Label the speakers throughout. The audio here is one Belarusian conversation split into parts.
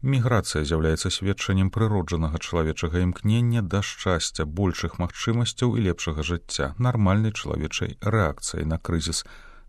Speaker 1: Міграцыя з'яўляецца сведчаннем прыроджанага чалавечага імкнення да шчасця, большых магчымасцяў і лепшага жыцця, нармальнай чалавечай рэакцыі на крызіс,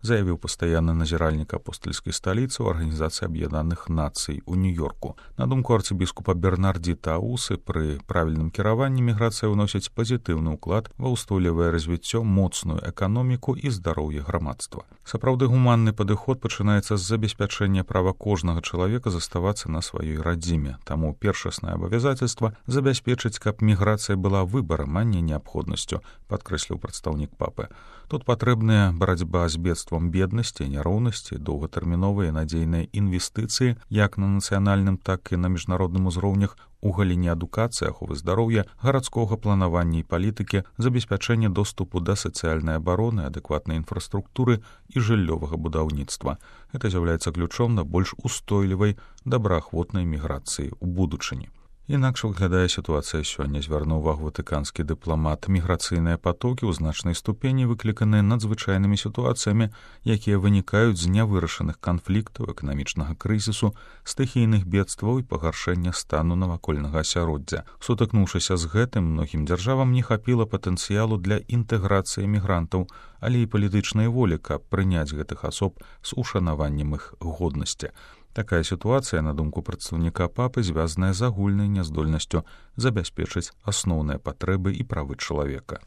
Speaker 1: заявіў пастаянны назіральнік апостальскай сталіцы ў Арганізацыі Аб'яднаных Нацый у Нью-Йорку. На думку арцыбіскупа Бернардзіта Аусы, пры правільным кіраванні міграцыя ўносіць пазітыўны ўклад ва ўстойлівае развіццё, моцную эканоміку і здароўе грамадства. Сапраўды гуманны падыход пачынаецца з забеспячэння права кожнага чалавека заставацца на сваёй радзіме. Таму першаснае абавязацельства забяспечыць, каб міграцыя была выбарам, а не неабходнасцю, падкрэсліў прадстаўнік папы. Тут патрэбная барацьба з бедствам беднасці, няроўнасці, доўгатэрміновыя надзейныя інвестыцыі як на нацыянальным, так і на міжнародным узроўнях у галіне адукацыі, аховы здароўя, гарадскога планавання і палітыкі, забеспячэння доступу да сацыяльнай абароны, адэкватнай інфраструктуры і жыллёвага будаўніцтва. Гэта з'яўляецца ключом на больш устойлівай, добраахвотнай міграцыі ў будучыні. Інакш выглядае сітуацыя сёння, звярнуў увагу ватыканскі дыпламат. Міграцыйныя патокі ў значнай ступені выкліканыя надзвычайнымі сітуацыямі, якія вынікаюць з нявырашаных канфліктаў, эканамічнага крызісу, стыхійных бедстваў і пагаршэння стану навакольнага асяроддзя. Сутыкнуўшыся з гэтым, многім дзяржавам не хапіла патэнцыялу для інтэграцыі мігрантаў, але і палітычнай волі, каб прыняць гэтых асоб з ушанаваннем іх годнасці. Такая сітуацыя, на думку прадстаўніка папы, звязаная з агульнай няздольнасцю забяспечыць асноўныя патрэбы і правы чалавека.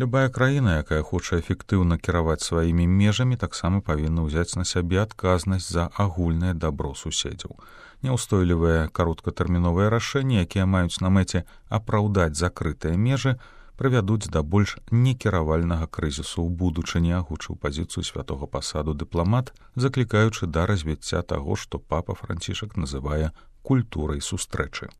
Speaker 1: Любая краіна, якая хоча эфектыўна кіраваць сваімі межамі, таксама павінна ўзяць на сябе адказнасць за агульнае дабро суседзяў. Няўстойлівыя кароткатэрміновыя рашэнні, якія маюць на мэце апраўдаць закрытыя межы, прывядуць да больш некіравальнага крызісу ў будучыні, агучыў пазіцыю святога пасаду дыпламат, заклікаючы да развіцця таго, што папа Францішак называе культурай сустрэчы.